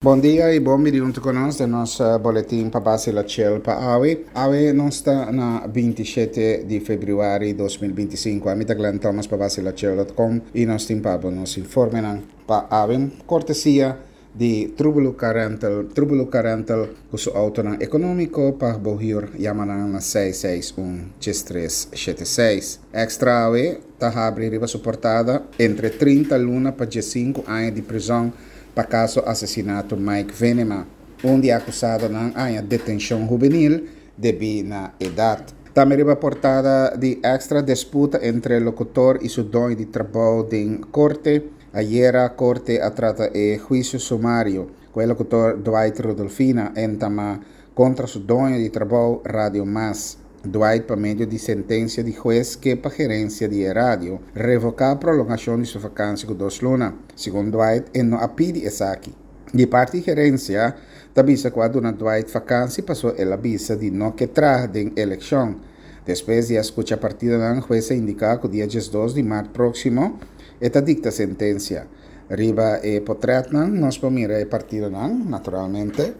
Bon dia y bon bini hunto cu nos den nos boletin pa base la chel pa awe. Awe nos ta na 27 di februari 2025. Ami ta Glenn Thomas pa baselachel.com y nos tin pa bo nos informenan pa awe. Cortesia di Trubelu Car Rental, Trubelu Car Rental cu su autonan economico pa bo huur, yama nan na 661 3376. Extra awe ta habri riba su portada entre 30 luna pa 15 aña di prizon pa kaso asesinato Mike Venema. Un di e akusadonan a haña detenshon hubenil debí na edat. Tambe riba portada di Extra disputa entre lokutor i su doño di trabou den korte. Ayera korte a trata e huisio sumario ku e lokutor Dwight Rudolfina entamá kontra su doño di trabou Radio Mas. Dwight pa medio di sentensia di hues ke pa gerensia di e radio revoká prolongashon di su vakansi ku dos luna. Segun Dwight e no a pidi esaki. Di parti gerensia ta bisa ku a duna Dwight vakansi paso el a bisa di no ke traha den elekshon. Despues di a skucha partidonan hues a indiká ku dia 12 di mart próksimo e ta dikta sentensia. Riba e potrètnan nos por mira e partidonan naturalmente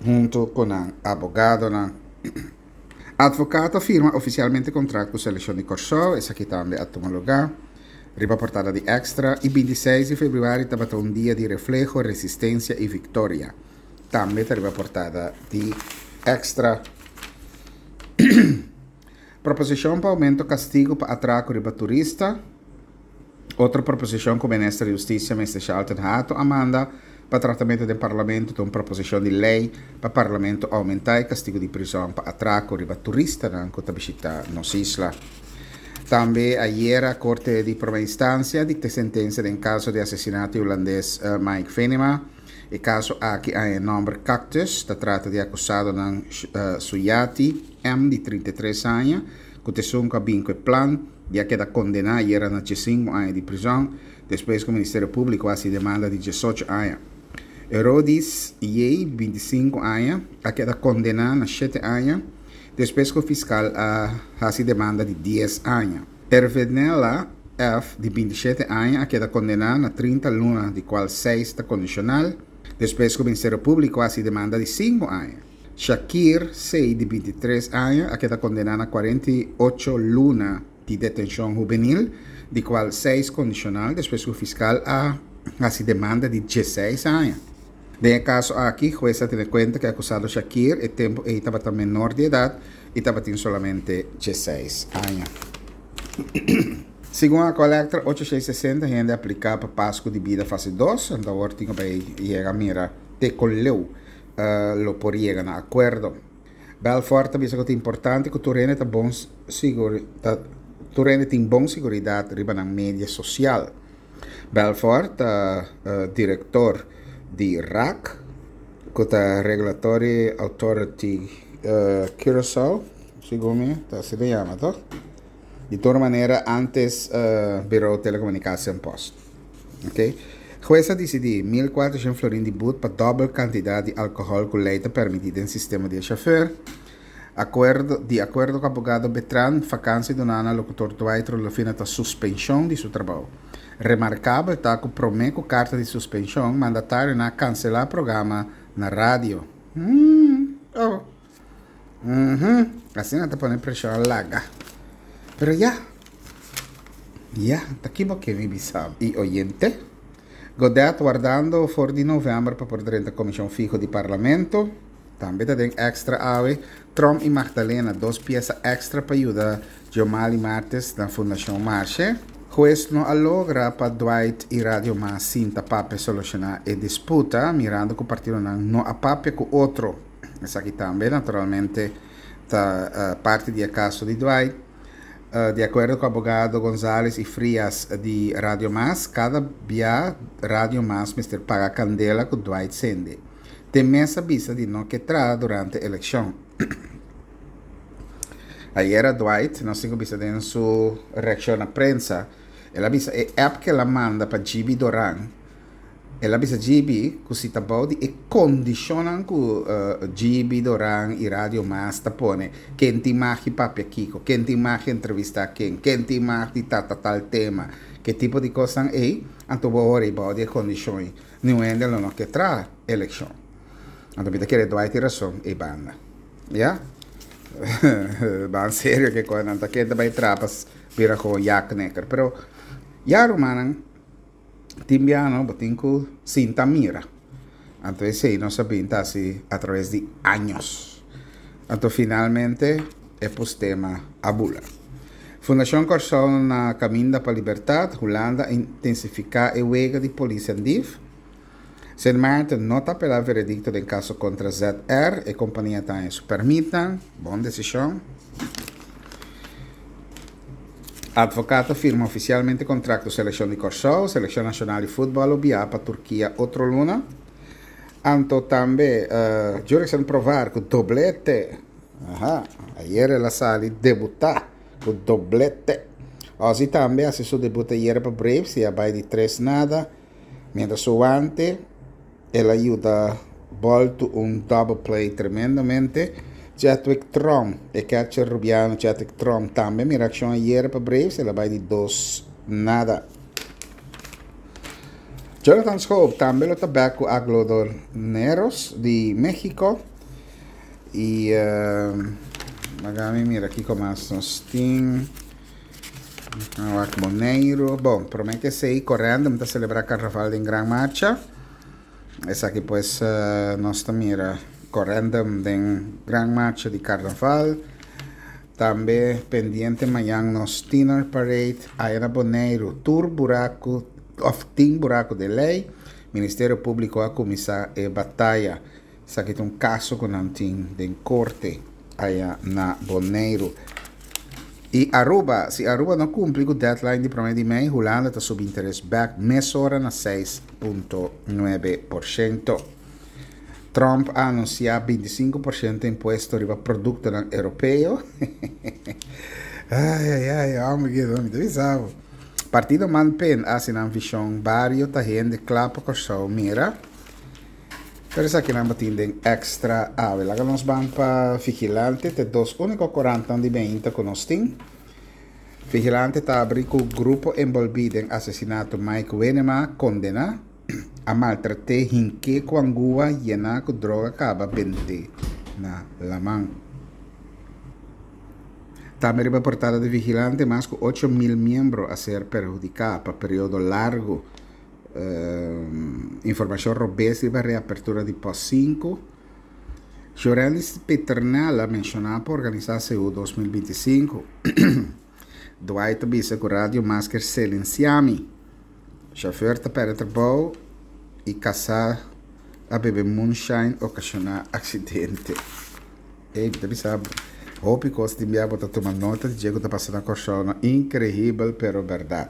huntu ku nan abogadonan. Advocaat a firma ofisialmente kontrakt ku selekshon di Kòrsou, esaki tambe a tuma lugá riba portada di Extra i 26 di febrüari tabata un dia di refleho, resistensia i viktoria. Tambe ta riba portada di Extra. Proposishon pa oumento kastigu pa atrako riba turista. Otro proposishon ku Minister di Hustisia Mister Shalton Hato a manda pa tratamentu den Parlamento ta un proposishon di lei pa Parlamento oumentá e kastigu di prizòn pa atrako riba turistanan ku ta bishitá nos isla. Tambe ayera Korte di Promé Instansia dikta e sentensia den kaso di asesinato di hulandes Mike Venema. E kaso aki a haña e nòmber Cactus, ta trata di akusadonan Suyati M. di 33 aña, ku ta esun ku a bin ku e plan di a keda kondená ayera na 15 aña di prizòn, despues ku Ministerio Públiko a hasi demanda di 18 aña. Herodis J. 25 aña, a keda kondená na shete aña, despues ku fiskal a hasi demanda di 10 aña. Ervenella F. di 27 aña a keda kondená na 30 luna, di kual seis ta kondishonal, despues ku Ministerio Públiko a hasi demanda di 5 aña. Shakir C. di 23 aña a keda kondená na 48 luna di detenshon hubenil, di kual seis kondishonal, despues ku fiskal a hasi demanda di 16 aña. Den e kaso aki, hues a tene kuenta ku e akusado Shakir e tempu ei tabata menor di edat i tabatin solamente 16 aña. Segun Aqualectra, 860 hende a apliká pa Pasku di Bida fase dos, anto awor tin ku bai yega mira te kon leu lo por yega na akuerdo. Belfort ta bisa ku ta importante ku tur hende ta bon ta tur hende tin bon siguridat riba nan media sosial. Belfort ta direktor di RAC, ku ta Regulatory Authority Curaçao, segun mi ta asina yama toch? Di tur manera antes Bureau Telecomunicatie en Post. Ok. Hues a disidí 1400 florin di but pa dòbel kantidat di alkohòl ku lei ta permití den sistema di e shofùr. Akuerdo, di akuerdo ku abogado Betran, fakansi duná na lokutor Dwight Rudolfina ta suspenshon di su trabou. Remarkabel ta ku promé ku karta di suspenshon, mandatarionan a kanselá programa na radio. Hmm, oh. Mhm, asina ta pone preshon laga. Pero ya, ya, ta ki bo ke mi bisa i oyente? Godet wardando for di novèmber pa por drenta komishon fiho di parlamento. Tambe ta den extra awe. Tromp i Magdalena, dos piesa extra pa yuda Giomali Martes na Fundashon Marshe. Hues no a logra pa Dwight i Radio Mas sinta papia solushoná e disputa, mirando ku partidonan no a papia ku otro. Esaki tambe naturalmente ta parti di e kaso di Dwight. Di akuerdo ku abogado Gonzales i Frias di Radio Mas, kada bia Radio Mas mester paga kandela ku Dwight sende. Te mes a bisa di no ke traha durante elekshon. Ayera Dwight, nos tin ku bisa den su reakshon na prensa, el a bisa e app ku el a manda pa GB Doran. El a bisa GB ku si ta bou di e kondishonnan ku GB, Doran i Radio Mas ta pone, ken tin mag di papia kiko, ken tin mag di entrevistá ken, ken tin mag di trata tal tema, ke tipo di kosnan ei, anto bo ora ei bou di e kondishon ei, niun hende lo no ke traha elekshon. Anto mi ta kere Dwight tin rason ei banda. Ya. Ban serio ke kosnan ta ken ta bai traha pa bira komo jaknekker. Pero ya rumannan. Tin biaha bo tin ku sinta mira. Anto esei nos a bin ta hasi atraves di años. Anto finalmente e postema a bula. Fundashon Kòrsou na kaminda pa libertat, Hulanda a intensifiká e wega di polis en dif. Sint Maarten no ta apelá veredikto den kaso kontra ZR, e kompania ta haña su pèrmitnan. Bon desishon. Advocaat a firma ofisialmente kontrakt ku selekshon di Kòrsou. Selekshon nashonal di futbòl lo biaha pa Turkia otro luna. Anto tambe Jurickson Provar ku doblete. Aha, ayer el a sali debutá ku doblete. Ozzie tambe a hasi su debut ayer pa Braves i a bai di tres nada. Mientras su wante el a yuda bòltu un double play tremendamente. Chadwick Tromp, e catcher rubiano Chadwick Tromp tambe mira akshon ayer pa Braves, el a bai di dos nada. Jonathan Schoop tambe lo ta bek ku Algodoneros di Mexico. I laga mi mira kiko mas nos tin. Wak Boneiru. Bon, promé ke esei Corendum ta selebrá karnaval den gran marcha. Esaki pues nos ta mira Corendum den gran marcha di karnaval. Tambe pendiente mañan nos Tiener Parade aya na Boneiru. Tur buraku òf tin buraku den lei. Ministerio Públiko a kuminsá e bataya. Esaki ta un kaso ku nan tin den korte aya na Boneiru. I Aruba, si Aruba no kumpli ku deadline di promé di mei, Hulanda ta subi interes bèk mesora na 6.9%. Trump a anunsiá 25% impuesto riba produktonan europeo. Ai ai ai, hòmber ki mi ta bisa bo. Partido Man Pen a hasi nan vishon bario ta hende kla pa Kòrsou mira. Pero esakinan bo tin den Extra awe. Laga nos ban pa Vigilante, ta e dos úniko korantnan di meinta ku nos tin. Vigilante ta abri ku grupo enbolbí den asesinato Mike Wenema kondená, a maltrat'é hink'é ku angua yená ku droga kaba bent'é na laman. Tambe riba portada di Vigilante mas ku 8000 miembro a ser perhudiká pa periodo largu. Informashon robes riba reapertura di Pos 5. Jorelis Peternella menshoná pa organisá CU 2025. Dwight ta bisa ku Radio Masker silensiá mi. Shofèr ta pèrdè trabou i kasá a bebe moonshine okashoná aksidente. Ey, mi ta bisa bo, hopi kos tin bia bo ta tuma nota di dje ku ta pasa na Kòrsou no, inkrehibel pero bèrdat.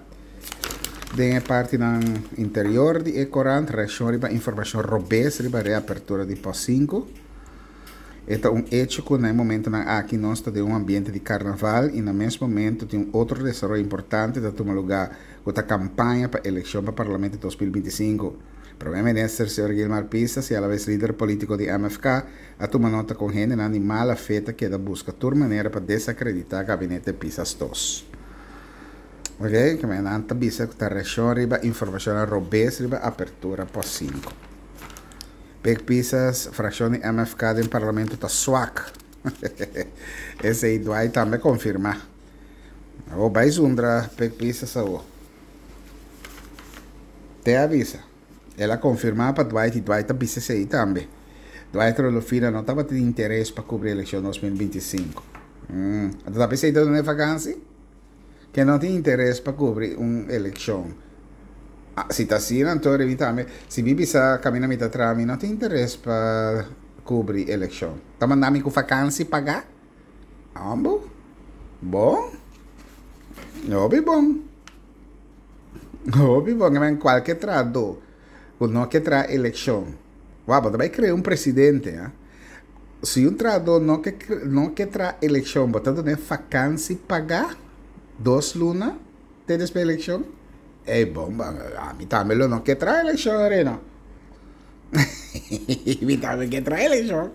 Den e partinan interior di e korant, reakshon riba informashon robes riba reapertura di pòs sinku. E ta un echo ku na e momentonan aki nos ta den un ambiente di karnaval i na mes momento tin un otro desaroyo importante ta tuma lugá ku ta kampaña pa elekshon pa parlamento 2025. Prome Minister señor Gilmar Pisas i alabes lider polítiko di MFK a tuma nota kon hendenan di mala fe ta keda buska tur manera pa desakreditá gabinete Pisas dos. Ok, keme nan ta bisa ku ta reakshon riba informashonnan robes riba apertura pos sinku. Pek Pisas, frakshon di MFK den parlamento ta swak. Esei Dwight tambe konfirmá. Awor bai zundra Pek Pisas awor. Te a bisa. El a konfirmá pa Dwight i Dwight a bisa esei tambe. Dwight Rolofina no tabatin interes pa kubri elekshon 2025. Anto ta p'esei ta duna e vakansi? Ke no tin interes pa kubri un elekshon. Si ta asina anto mi tambe, si mi bisa kaminda mi ta traha mi no tin interes pa kubri elekshon. Ta manda mi ku vakansi pagá? Ambo? Bon? Hopi bon. Hopi bon, men kualke trahadó ku no ke traha elekshon, wou, bo ta bai krea un presidente, ha. Si un trahadó no ke no ke traha elekshon, bo ta dun'é fakansi pagá dos luna te despues elekshon? Ey bomba, ami tambe lo no ke traha elekshon Arena. Mi tambe ke traha elekshon.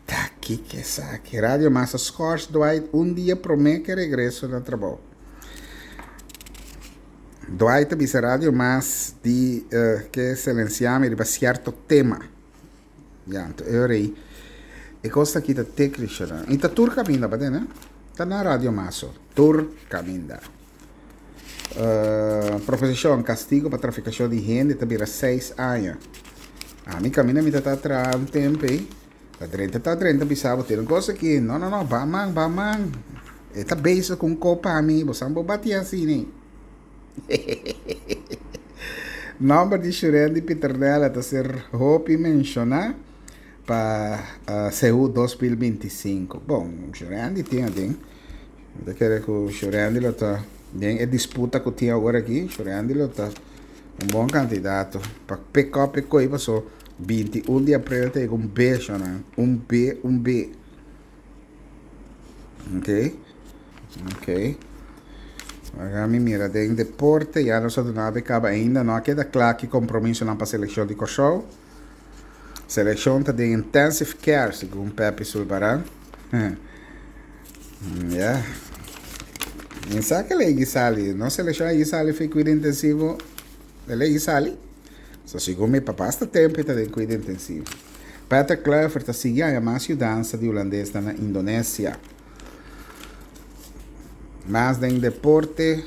Ta kiko esaki? Radio Mas a schors Dwight un dia prome ke regreso na trabou. Dwight ta bisa Radio Mas di ke silencia mi riba cierto tema. Ya, anto e ora ei e kos aki ta te Krishona. I ta tur kaminda pa tene. Ta na Radio Mas so. Tur kaminda. Proposishon, kastigo pa trafikashon di hende ta bira seis aña. Ami kaminda mi ta ta traha un tempu ei, ta drenta ta drenta bisa bo tin un kos aki. No, no, no, ba man, ba man. E ta bezig ku un kopa ami, bo san bo bati asina. Nòmber di Shurendi Pieternella ta ser hopi menshoná pa Seú 2025. Bon, Shurendi tin aden. Mi ta kere ku Shurendi lo ta den e disputa ku tin awor aki. Shurendi lo ta un bon kandidato pa pick up e koi paso 21 di aprel ta yega un B shonnan. Un B, un B. Ok, ok. Laga mi mira den deporte, ya nos a duna be kaba ainda no a keda kla ki kompromisonan pa selekshon di Kòrsou. Selekshon ta den intensive care, segun Pepi Sulbaran. Ya. Mi sa ke lei sali, nos selekshon a sali fi kuido intensivo, e lei sali. So segun mi pa basta tempo e ta den kuido intensivo. Patrick Kluivert ta sigui haña mas yudansa di hulandesnan na Indonesia. Mas den deporte,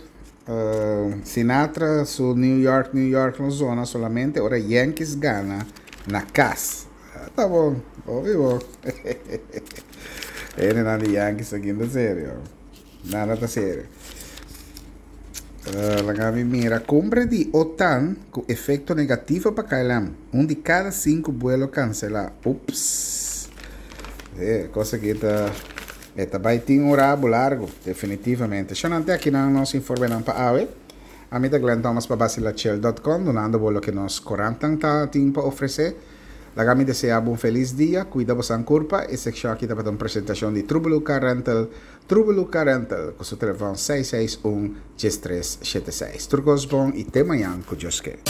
Sinatra su New York, New York no zona solamente ora Yankees gana na kas. Ta bon, hopi bon. Hendenan di Yankees ta kinta serio. Nada ta serio. Laga mi mira. Cumbre di OTAN cu efecto negativo pa KLM. Un di cada cinco buelo cancela. Ups. E cosa aki ta e ta bay tin un rabo largo, definitivamente. Shonante akinan nos informenan pa awe. Ami ta Glenn Thomas pa Bacilachel dot com dunando bo loke nos corantan ta tin pa ofrece. Laga mi desea bo un feliz dia. Cuida bosan curpa. E seccion aki tabata un presentacion di Trubelu Car Rental. Trubelu Car Rental cu su telefon seis seis un 13 shete seis. Tur cos bon y te mañan cu Dios ke.